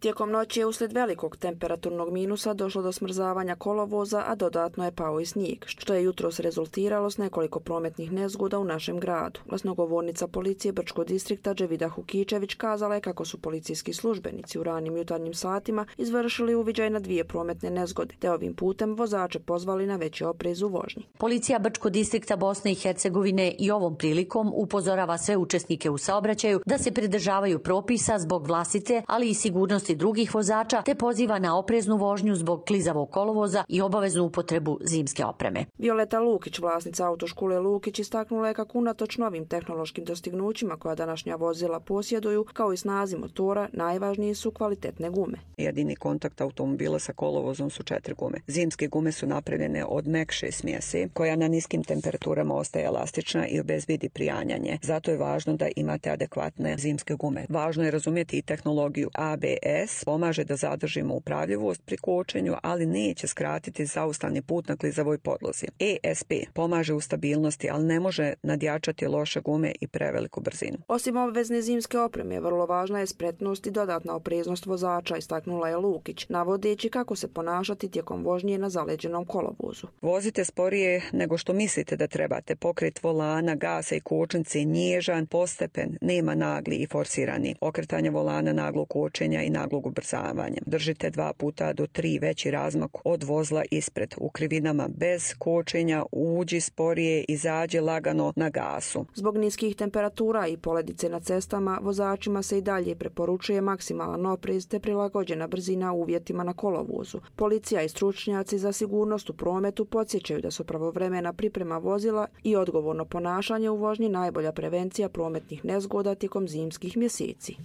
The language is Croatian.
Tijekom noći je uslijed velikog temperaturnog minusa došlo do smrzavanja kolovoza, a dodatno je pao i snijeg, što je jutros rezultiralo s nekoliko prometnih nezgoda u našem gradu. Glasnogovornica policije Brčkog distrikta Dževida Hukičević kazala je kako su policijski službenici u ranim jutarnjim satima izvršili uviđaj na 2 prometne nezgode, te ovim putem vozače pozvali na veći oprez u vožnji. Policija Brčkog distrikta Bosne i Hercegovine i ovom prilikom upozorava sve učesnike u saobraćaju da se pridržavaju propisa zbog vlastite, ali i sigurnosti drugih vozača, te poziva na opreznu vožnju zbog klizavog kolovoza i obaveznu upotrebu zimske opreme. Violeta Lukić, vlasnica autoškole Lukić, istaknula je kako unatoč novim tehnološkim dostignućima koja današnja vozila posjeduju, kao i snazi motora, najvažnije su kvalitetne gume. Jedini kontakt automobila sa kolovozom su 4 gume. Zimske gume su napravljene od mekše smjese, koja na niskim temperaturama ostaje elastična i obezbedi prijanjanje. Zato je važno da imate adekvatne zimske gume. Važno je razumjeti i tehnologiju ABS, pomaže da zadržimo upravljivost pri kočenju, ali neće skratiti zaustavni put na klizavoj podlozi. ESP pomaže u stabilnosti, ali ne može nadjačati loše gume i preveliku brzinu. Osim obvezne zimske opreme, vrlo važna je spretnost i dodatna opreznost vozača, istaknula je Lukić, navodeći kako se ponašati tijekom vožnje na zaleđenom kolovozu. Vozite sporije nego što mislite da trebate. Pokret volana, gasa i kočnice je nježan, postepen, nema nagli i forsirani. Okretanje volana, naglog kočenja i naglog ubrzavanja. Držite 2 puta do 3 veći razmak od vozila ispred. U krivinama bez kočenja uđi sporije, izađe lagano na gasu. Zbog niskih temperatura i poledice na cestama, vozačima se i dalje preporučuje maksimalan oprez te prilagođena brzina uvjetima na kolovozu. Policija i stručnjaci za sigurnost u prometu podsjećaju da su pravovremena priprema vozila i odgovorno ponašanje u vožnji najbolja prevencija prometnih nezgoda tijekom zimskih mjeseci.